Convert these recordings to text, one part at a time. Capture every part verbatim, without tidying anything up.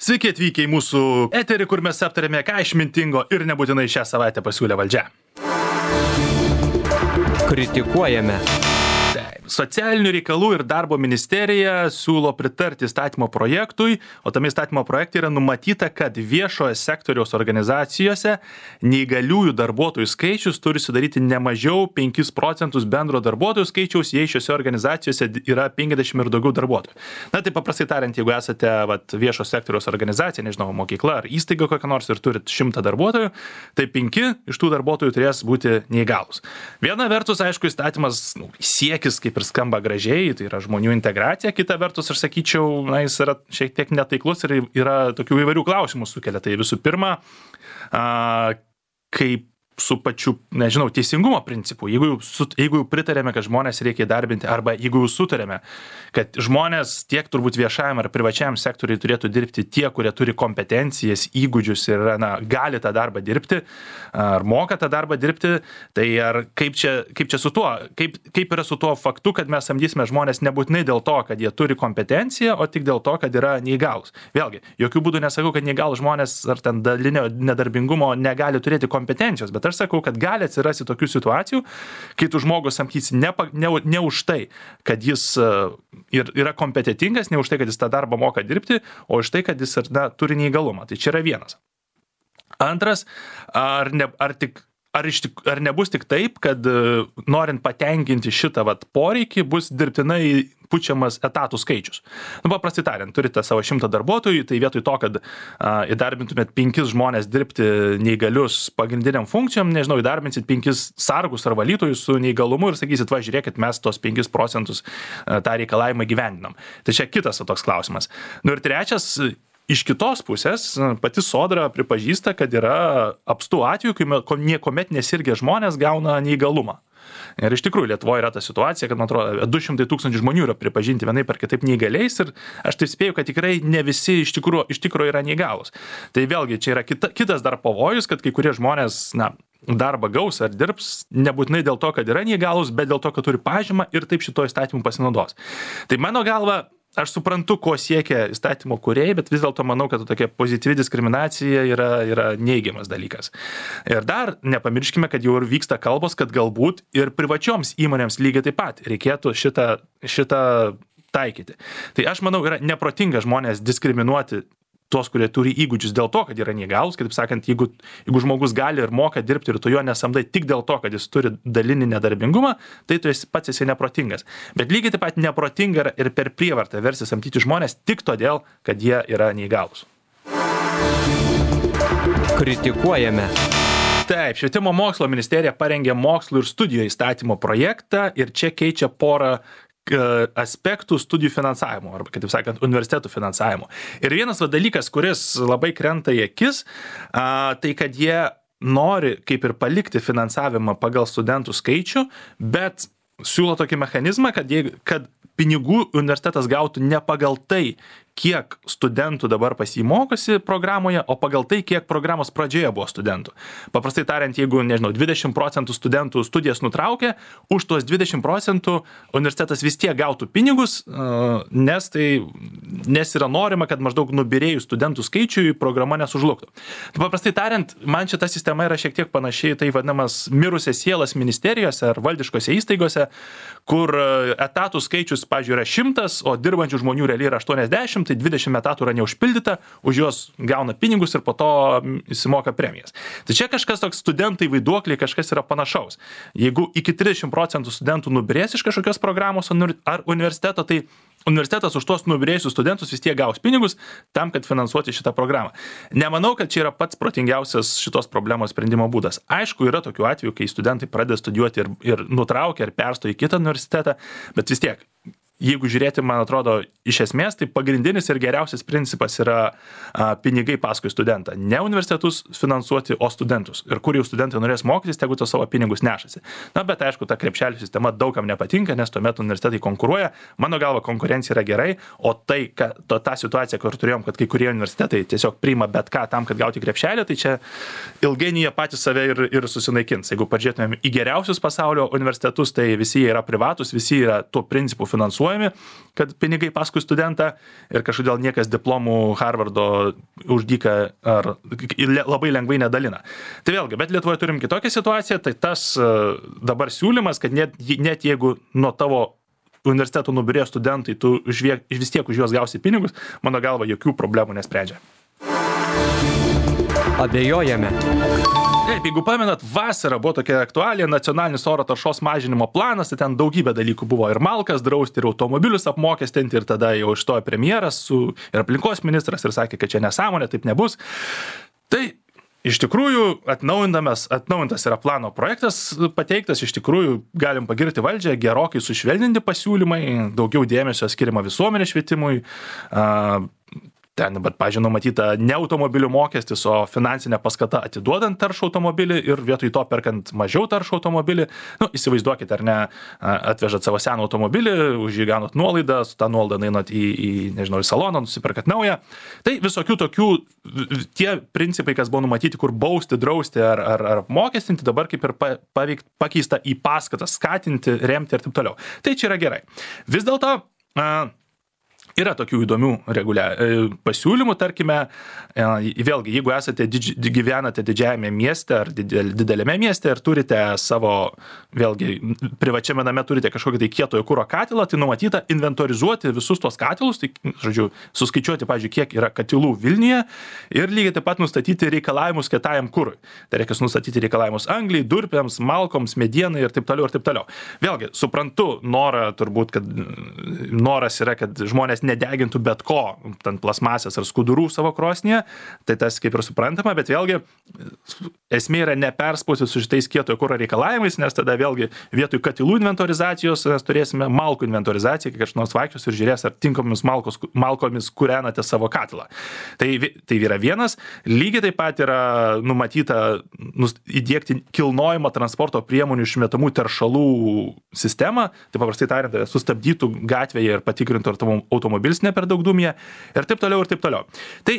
Sveiki atvykę į mūsų eterį, kur mes aptarėme, ką išmintingo ir nebūtinai šią savaitę pasiūlė valdžia. Kritikuojame. Socialinių reikalų ir darbo ministerija siūlo pritarti įstatymo projektui, o tame įstatymo projekte yra numatyta, kad viešojo sektoriaus organizacijose neįgaliųjų darbuotojų skaičius turi sudaryti ne mažiau penkis procentus bendro darbuotojų skaičiaus, jei šiose organizacijose yra penkiasdešimt ir daugiau darbuotojų. Na tai paprastai tariant, jeigu esate vat, viešo sektoriaus organizacija, nežinau, mokykla ar įstaiga kokia nors ir turit šimtą darbuotojų, tai penki iš tų darbuotojų turės būti neįgalūs. Viena vertus, aišku, įstatymas nu, siekis kaip ir skamba gražiai, tai yra žmonių integracija, kita vertus, aš sakyčiau, na, jis yra šiek tiek netaiklus ir yra tokių įvairių klausimų sukelia. Tai visų pirma, a, kaip su pačiu, nežinau, teisingumo principu, jeigu jau, su, jeigu jau pritarėme, kad žmonės reikia įdarbinti, arba jeigu jau sutarėme, kad žmonės tiek turbūt viešajam ar privačiam sektoriui turėtų dirbti tie, kurie turi kompetencijas, įgūdžius ir na, gali tą darbą dirbti, ar moka tą darbą dirbti, tai ar kaip čia, kaip čia su tuo, kaip, kaip yra su tuo faktu, kad mes samdysime žmonės nebūtinai dėl to, kad jie turi kompetenciją, o tik dėl to, kad yra neįgalūs. Vėlgi, jokių būdų nesakau, kad neįgalūs žmonės ar ten dalinio nedarbingumo negali turėti kompetencijos, bet aš sakau, kad gali atsirasti tokių situacijų, kai tu žmogus samdysi ne, ne, ne už tai, kad jis ir, yra kompetentingas, ne už tai, kad jis tą darbą moka dirbti, o už tai, kad jis na, turi neįgalumą. Tai čia yra vienas. Antras, ar, ne, ar tik Ar, iš tik, ar nebus tik taip, kad norint patenkinti šitą vat, poreikį, bus dirbtinai pučiamas etatų skaičius. Nu, paprastai tariant, turite savo šimtą darbuotojų, tai vietoj to, kad a, įdarbintumėt penkis žmonės dirbti neįgalius pagrindiniam funkcijom, nežinau, įdarbinsit penkis sargus ar valytojus su neįgalumu ir sakysit, va, žiūrėkit, mes tos penkis procentus a, tą reikalavimą gyvendinam. Tai čia kitas o, toks klausimas. Nu ir trečias, iš kitos pusės, pati Sodra pripažįsta, kad yra apstų atvejų, kai niekuomet nesirgę žmonės gauna neįgalumą. Ir iš tikrųjų Lietuvoje yra ta situacija, kad, man atrodo, du šimtai tūkstančių žmonių yra pripažinti vienaip ar kitaip neįgaliais ir aš taip spėju, kad tikrai ne visi iš tikrųjų, iš tikrųjų yra neįgalūs. Tai vėlgi čia yra kita, kitas dar pavojus, kad kai kurie žmonės, na, darbą gaus ar dirbs nebūtinai dėl to, kad yra neįgalūs, bet dėl to, kad turi pažymą ir taip šito įstatymu pasinaudos. Tai mano galva, aš suprantu, ko siekia įstatymo kūrėjai, bet vis dėlto manau, kad tokia pozityvi diskriminacija yra, yra neigiamas dalykas. Ir dar nepamirškime, kad jau ir vyksta kalbos, kad galbūt ir privačioms įmonėms lygiai taip pat reikėtų šitą, šitą taikyti. Tai aš manau, yra neprotinga žmonės diskriminuoti tuos, kurie turi įgūdžius dėl to, kad yra neįgalūs, kitaip sakant, jeigu, jeigu žmogus gali ir moka dirbti ir tu jo nesamdai tik dėl to, kad jis turi dalinį nedarbingumą, tai tu esi pats esi neprotingas. Bet lygiai taip pat neprotinga ir per prievartą versti samdyti žmonės tik todėl, kad jie yra neįgalūs. Kritikuojame. Taip, Švietimo mokslo ministerija parengė mokslo ir studijų įstatymo projektą ir čia keičia porą aspektų studijų finansavimo, arba, kaip sakant, universitetų finansavimo. Ir vienas va, dalykas, kuris labai krenta į akis, a, tai kad jie nori kaip ir palikti finansavimą pagal studentų skaičių, bet siūlo tokį mechanizmą, kad, jie, kad pinigų universitetas gautų ne pagal tai, kiek studentų dabar pasimokosi programoje, o pagal tai, kiek programos pradžioje buvo studentų. Paprastai tariant, jeigu, nežinau, dvidešimt procentų studentų studijas nutraukė, už tuos dvidešimt procentų universitetas vis tiek gautų pinigus, nes, tai, nes yra norima, kad maždaug nubirėjus studentų skaičiui programa nesužlugtų. Tai paprastai tariant, man šita sistema yra šiek tiek panašiai tai vadinamas mirusias sielas ministerijose ar valdiškose įstaigose, kur etatų skaičius, pavyzdžiui, yra šimtas, o dirbančių žmonių realiai yra aštuoniasdešimt, tai dvidešimt etatų yra neužpildyta, už juos gauna pinigus ir po to įsimoka premijas. Tai čia kažkas toks studentai vaiduokliai, kažkas yra panašaus. Jeigu iki trisdešimt procentų studentų nubirės iš kažkokios programos ar universiteto, tai universitetas už tuos nubirėjusius studentus vis tiek gaus pinigus tam, kad finansuoti šitą programą. Nemanau, kad čia yra pats protingiausias šitos problemos sprendimo būdas. Aišku, yra tokių atvejų, kai studentai pradeda studijuoti ir, ir nutraukia ir perstoja į kitą universitetą, bet vis tiek, jeigu žiūrėti, man atrodo, iš esmės, tai pagrindinis ir geriausias principas yra a, pinigai paskui studentą. Ne universitetus finansuoti, o studentus. Ir kur jau studentai norės mokytis, tegu to savo pinigus nešasi. Na, bet aišku, ta krepšelių sistema daugam nepatinka, nes tuomet universitetai konkuruoja. Mano galva, konkurencija yra gerai, o tai, kad to, tą situaciją, kur turėjom, kad kai kurie universitetai tiesiog priima bet ką tam, kad gauti krepšelį, tai čia ilgainiui jie patys save ir, ir susinaikins. Jeigu pažiūrėtumėm į geriausius pasaulio universitetus, tai visi jie yra privatus, visi yra tuo principu finansuojami. finansuojami, kad pinigai paskui studentą ir kažkodėl niekas diplomų Harvardo už dyką ar labai lengvai nedalina. Tai vėlgi, bet Lietuvoje turim kitokią situaciją, tai tas dabar siūlymas, kad net, net jeigu nuo tavo universitetų nubirėjo studentai, tu žviek, vis tiek už juos gausi pinigus, mano galva jokių problemų nesprendžia. Abejojame. Taip, jeigu pamenat, vasara buvo tokia aktualija, nacionalinis oro taršos mažinimo planas, tai ten daugybė dalykų buvo ir malkas drausti, ir automobilius apmokestinti, ir tada jau ištojo premjeras su, ir aplinkos ministras ir sakė, kad čia nesąmonė, taip nebus. Tai iš tikrųjų atnaujintas, atnaujintas yra plano projektas pateiktas, iš tikrųjų galim pagirti valdžią, gerokai sušvelninti pasiūlymai, daugiau dėmesio skiriama visuomenės švietimui, uh, ten, bet, pažiūrėjau, numatyta ne automobilių mokestis, o finansinė paskata atiduodant taršų automobilį ir vietoj to perkant mažiau taršų automobilį. Nu, įsivaizduokit, ar ne, atvežat savo seną automobilį, už jį gaunat nuolaidą, su tą nuolaidą einat į, į, nežinau, į saloną, nusiperkat naują. Tai visokių tokių, tie principai, kas buvo numatyti, kur bausti, drausti ar, ar, ar mokestinti, dabar kaip ir pavykt, pakeista į paskatą, skatinti, remti ir taip toliau. Tai čia yra gerai. Vis dėlto, uh, yra tokių įdomių regulia, pasiūlymų, tarkime, vėlgi, jeigu esate didži, gyvenate didžiajame mieste ar didel, didelėme mieste ir turite savo, vėlgi, privačiame name turite kažkokį tai kietojo kuro katilą, tai numatyta inventorizuoti visus tos katilus, tai, žodžiu, suskaičiuoti, pavyzdžiui, kiek yra katilų Vilniuje ir lygiai taip pat nustatyti reikalavimus kietajam kurui. Tai reikia nustatyti reikalavimus angliai, durpėms, malkoms, medienai ir taip toliau ir taip toliau. Vėlgi, suprantu norą, turbūt, kad noras yra, kad žmonės nedegintų bet ko, ten plasmasės ar skudurų savo krosnyje, tai tas kaip ir suprantama, bet vėlgi esmė yra neperspausti su šitais kietojo kuro reikalavimais, nes tada vėlgi vietoj katilų inventorizacijos mes turėsime malkų inventorizaciją, kai kažkas nors vaikščios ir žiūrės, ar tinkamomis malkos, malkomis kūrenate savo katilą. Tai, tai yra vienas, lygiai taip pat yra numatyta įdiegti kilnojimo transporto priemonių išmetamų teršalų sistemą, tai paprastai tariant, sustabdytų gatvėje ir patikrintų automobilį automobilis ne per daug dūmija ir taip toliau ir taip toliau. Tai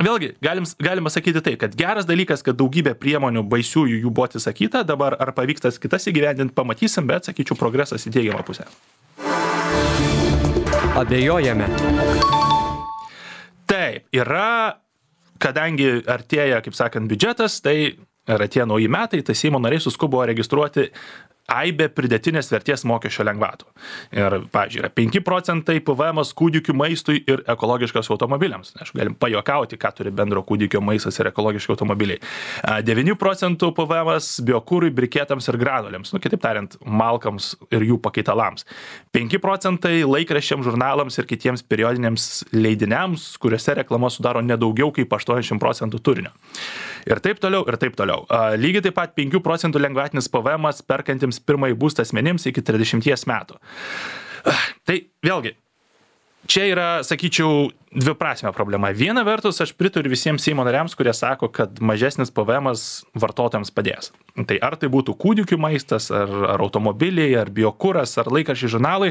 vėlgi galim, galima sakyti tai, kad geras dalykas, kad daugybė priemonių baisiųjų jų buvo atsisakyta, dabar ar pavyksta kitas įgyvendinti, pamatysim, bet sakyčiau progresas į teigiamą pusę. Abejojame. Taip, yra, kadangi artėja, kaip sakant, biudžetas, tai ir atėjo nauji metai, tai Seimo nariai suskubo registruoti aibė pridėtinės vertės mokesčio lengvatų. Ir, pavyzdžiui, yra penki procentai P V M-as kūdikių maistui ir ekologiškas automobiliams. Aš galim pajokauti, ką turi bendro kūdikio maistas ir ekologiški automobiliai. devyni procentai P V M-as biokūrui, briketams ir granuliams, nu, kitaip tariant, malkams ir jų pakaitalams. penki procentai laikraščiams, žurnalams ir kitiems periodiniams leidiniams, kuriuose reklama sudaro nedaugiau kaip aštuoniasdešimt procentų turinio. Ir taip toliau, ir taip toliau. Lygiai taip pat penki procentai lengvatinis P V M-as perkantiems pirmąjį būstą asmenims iki trisdešimties metų. Tai vėlgi, čia yra, sakyčiau, dviprasmė problema. Viena vertus, aš pritariu visiems Seimo nariams, kurie sako, kad mažesnis P V M-as vartotojams padės. Tai ar tai būtų kūdikių maistas, ar, ar automobiliai, ar biokuras, ar laikraščiai žurnalai,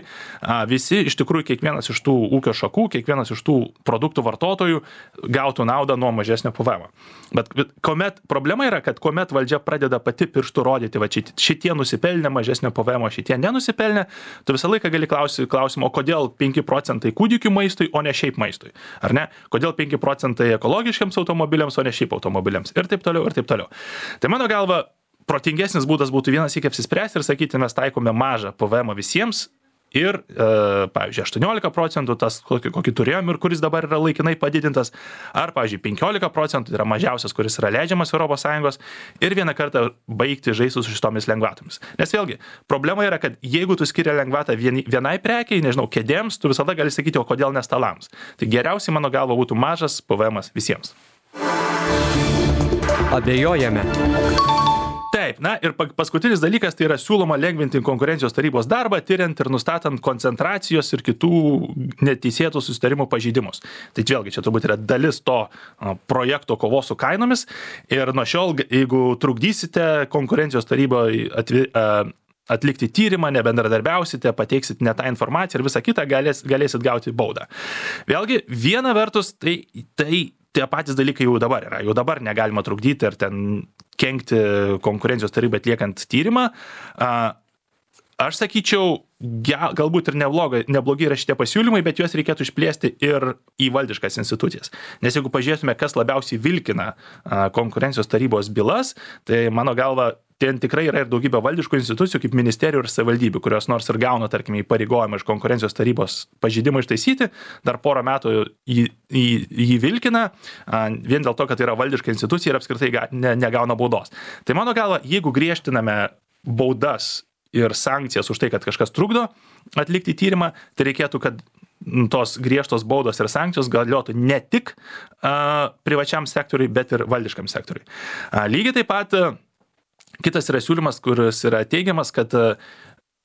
visi iš tikrųjų kiekvienas iš tų ūkio šakų, kiekvienas iš tų produktų vartotojų gautų naudą nuo mažesnio P V M-o. Bet, bet kuomet, problema yra, kad kuomet valdžia pradeda pati pirštų rodyti, va šitie nusipelnė mažesnio P V M-o, šitie nenusipelnė, tu visą laiką gali klausyti klausimą, o kodėl penki procentai kūdikių maistui, o ne šiaip maistui. Ar ne? Kodėl penki procentai ekologiškiams automobiliams, o ne šiaip automobiliams. Ir taip toliau, ir taip toliau. Tai mano galva, protingesnis būdas būtų vienas iki apsispręsti ir sakyti, mes taikome mažą P V M visiems ir, e, pavyzdžiui, aštuoniolika procentų tas, kokį, kokį turėjom ir kuris dabar yra laikinai padidintas, ar, pavyzdžiui, penkiolika procentų yra mažiausias, kuris yra leidžiamas Europos Sąjungos ir vieną kartą baigti žaisti su šitomis lengvatomis. Nes vėlgi, problema yra, kad jeigu tu skiria lengvatą vieni, vienai prekiai, nežinau, kėdėms, tu visada gali sakyti, o kodėl ne stalams. Tai geriausiai, mano galva, būtų mažas P V M visiems. Abejojame. Taip, na ir paskutinis dalykas, tai yra siūloma lengvinti konkurencijos tarybos darbą, tyriant ir nustatant koncentracijos ir kitų neteisėtų susitarimų pažeidimus. Tai vėlgi, čia turbūt yra dalis to projekto kovos su kainomis ir nuo šiol, jeigu trukdysite konkurencijos taryboje atvi, atlikti tyrimą, nebendradarbiausite, pateiksit ne tą informaciją ir visą kitą, galės, galėsit gauti baudą. Vėlgi, viena vertus, tai, tai tie patys dalykai jau dabar yra. Jau dabar negalima trukdyti ir ten kenkti konkurencijos tarybai atliekant tyrimą. Aš sakyčiau, ja, galbūt ir neblogai, neblogi yra šitie pasiūlymai, bet juos reikėtų išplėsti ir į valdiškas institucijas. Nes jeigu pažiūrėtume, kas labiausiai vilkina a, konkurencijos tarybos bylas, tai mano galva, ten tikrai yra ir daugybė valdiškų institucijų, kaip ministerijų ir savivaldybių, kurios nors ir gauna, tarkime, įpareigojimą iš konkurencijos tarybos pažeidimą ištaisyti, dar porą metų jį, jį, jį vilkina, a, vien dėl to, kad tai yra valdiška institucija ir apskritai ga, ne, negauna baudos. Tai mano galva, jeigu griežtiname baudas ir sankcijas už tai, kad kažkas trukdo atlikti tyrimą, tai reikėtų, kad tos griežtos baudos ir sankcijos galiotų ne tik a, privačiam sektoriui, bet ir valdiškam sektoriui. A, lygiai taip pat a, kitas yra siūlymas, kuris yra teigiamas, kad a,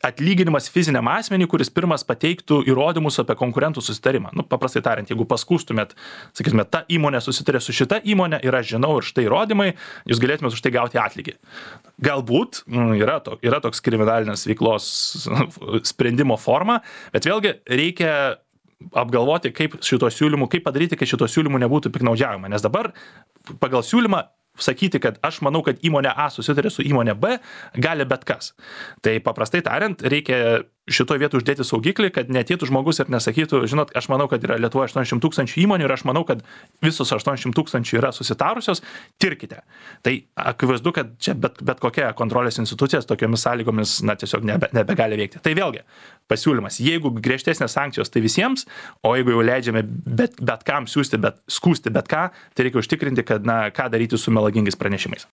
atlyginimas fiziniam asmeniui, kuris pirmas pateiktų įrodymus apie konkurentų susitarimą. Nu, paprastai tariant, jeigu paskustumėt, sakytumėt, ta įmonė susitarė su šita įmonė ir aš žinau ir štai įrodymai, jūs galėtumėt už tai gauti atlygį. Galbūt yra, to, yra toks kriminalinės veiklos sprendimo forma, bet vėlgi reikia apgalvoti, kaip šito siūlymų, kaip padaryti, kad šito siūlymų nebūtų piknaudžiavimo. Nes dabar pagal siūlymą sakyti, kad aš manau, kad įmonė A susitarė su įmonė B, gali bet kas. Tai paprastai tariant, reikia šitoje vietoje uždėti saugiklį, kad neateitų žmogus ir nesakytų, žinot, aš manau, kad yra Lietuvoje aštuoniasdešimt tūkstančių įmonių ir aš manau, kad visos aštuoniasdešimt tūkstančių yra susitarusios, tirkite. Tai akivaizdu, kad čia bet, bet kokia kontrolės institucijas tokiomis sąlygomis, na, tiesiog nebe, nebegali veikti. Tai vėlgi, pasiūlymas, jeigu griežtesnės sankcijos, tai visiems, o jeigu jau leidžiame bet, bet kam siūsti, bet skūsti bet ką, tai reikia užtikrinti, kad, na, ką daryti su melagingais pranešimais.